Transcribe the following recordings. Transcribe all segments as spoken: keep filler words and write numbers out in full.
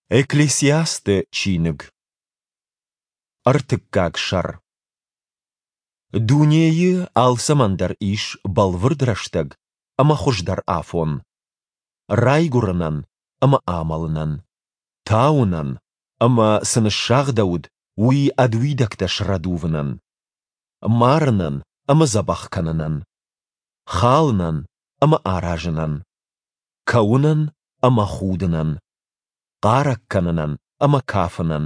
Экклесиасты чиныг. Ӕртыккаг сӕр. Дунейы алцӕмӕн дӕр ис бӕлвырд рӕстӕг ӕмӕ хуыздӕр афон. Райгуырынӕн ӕмӕ амӕлынӕн, тауынӕн ӕмӕ, цы ныссагъдӕуыд, уый ӕд уидӕгтӕ срӕдувынӕн, марынӕн ӕмӕ дзӕбӕх кӕнынӕн, халынӕн ӕмӕ аразынӕн, кӕуынӕн ӕмӕ худынӕн, хъарӕг кӕнынӕн ӕмӕ кафынӕн,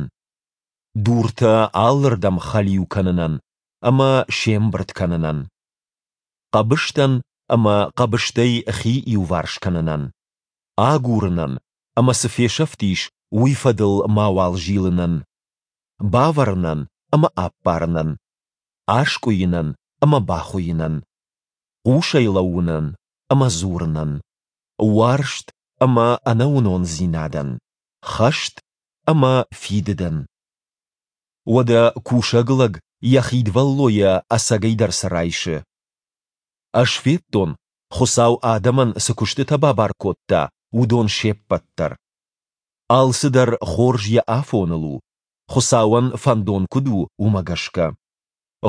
дуртӕ алырдӕм хӕлиу кӕнынӕн ӕмӕ се мбырд кӕнынӕн, хъӕбыстӕн ӕмӕ хъӕбыстӕй хи иуварс кӕнынӕн, агурынӕн ӕмӕ цы фесӕфтис, уый фӕдыл мауал зилынӕн, бавӕрынӕн ӕмӕ аппарынӕн, аскъуыйынӕн ӕмӕ бахуыйынӕн, хъусӕй лӕууынӕн ӕмӕ дзурынӕн, уарзт ӕмӕ ӕнӕуынондзинадӕн, хӕст ӕмӕ фидыдӕн. Уӕдӕ кусӕг лӕг йӕ хидвӕллойӕ ӕцӕгӕйдӕр цы райсы? Ӕз федтон, Хуыцау адӕмӕн цы куыстытӕ бабар кодта, уыдон се ппӕт дӕр. Алцыдӕр хорз йӕ афоныл у, Хуыцауӕн фӕндон куыд у, уымӕ гӕсгӕ.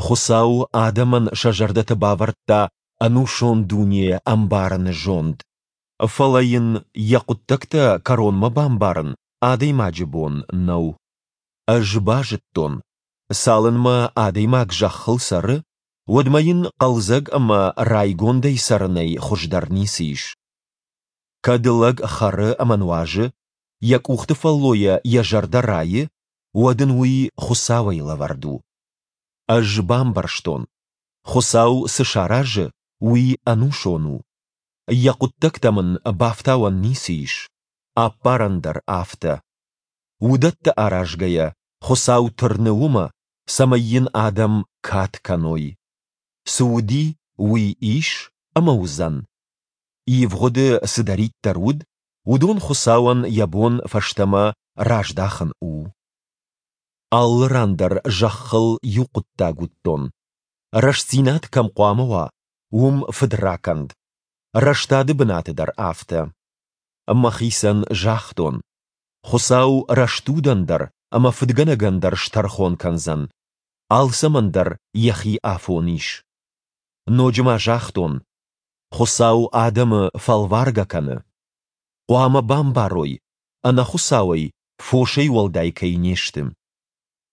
Хуыцау адӕмӕн сӕ зӕрдӕты бавӕрдта ӕнусон дуне ӕмбарыны зонд. Фӕлӕ йын йӕ хъуыддӕгтӕ кӕронмӕ бамбарын адӕймаджы бон нӕу. Ӕз базыдтон, цалынмӕ адӕймаг зӕххыл цӕры, уӕдмӕ йын хъӕлдзӕг ӕмӕ райгондӕй цӕрынӕй хуыздӕр ницы ис. Кӕд лӕг хӕры ӕмӕ нуазы, йӕ къухты фӕллойӕ йӕ зӕрдӕ райы, уӕд ын уый Хуыцауӕй лӕвӕрд у. Ӕз бамбӕрстон, Хуыцау цы саразы, уый ӕнусон у. Йӕ хъуыддӕгтӕм ын бафтауӕн ницы ис, аппарӕн дӕр афтӕ. Уыдӕттӕ аразгӕйӕ, Хуыцау тырны уымӕ, цӕмӕй йын адӕм кад кӕной. Цы уыди, уый ис ӕмӕ уыдзӕн. Ивгъуыды цыдӕриддӕр уыд, уыдон Хуыцауӕн йӕ бон фӕстӕмӕ раздахын у. Алы ран дӕр зӕххыл иу хъуыддаг уыдтон: рӕстдзинад кӕм хъуамӕ уа, уым фыдракӕнд, рӕстады бынаты дӕр афтӕ. Мӕхицӕн загътон: Хуыцау рӕстудӕн дӕр ӕмӕ фыдгӕнӕгӕн дӕр стӕрхон кӕндзӕн, алцӕмӕн дӕр йӕхи афон ис. Ноджы ма загътон: Хуыцау адӕмы фӕлваргӕ кӕны. Хъуамӕ бамбарой, ӕнӕ Хуыцауӕй фосӕй уӕлдай кӕй не сты.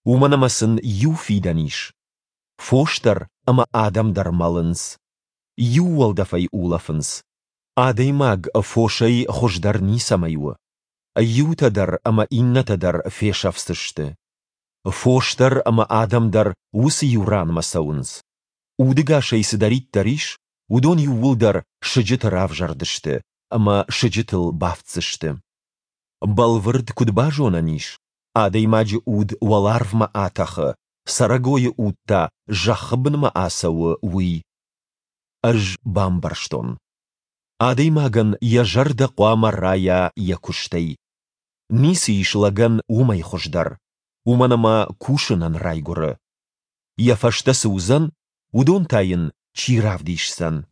Уымӕн ӕмӕ сын иу фидӕн ис. Фос дӕр ӕмӕ адӕм дӕр мӕлынц. Иу уӕлдӕфӕй улӕфынц. Адӕймаг фосӕй хуыздӕр ницӕмӕй у. Иутӕ дӕр ӕмӕ иннӕтӕ дӕр фесӕфдзысты. Фос дӕр ӕмӕ адӕм дӕр уыцы иу ранмӕ цӕуынц. Удӕгасӕй цыдӕриддӕр ис, уыдон иууылдӕр сыджыты равзӕрдысты ӕмӕ сыджытыл бафтдзысты. Бӕлвырд куыд базонӕн ис, адӕймаджы уд уӕларвмӕ атӕхы, цӕрӕгойы уд та зӕххы бынмӕ ацӕуы, уый? Ӕз бамбӕрстон. Адӕймагӕн йӕ зӕрдӕ хъуамӕ райа йӕ куыстӕй. Ницы ис лӕгӕн уымӕй хуыздӕр, уымӕн ӕмӕ кусынӕн райгуыры. Йӕ фӕстӕ цы уыдзӕн, уыдон та йын чи равдисдзӕн?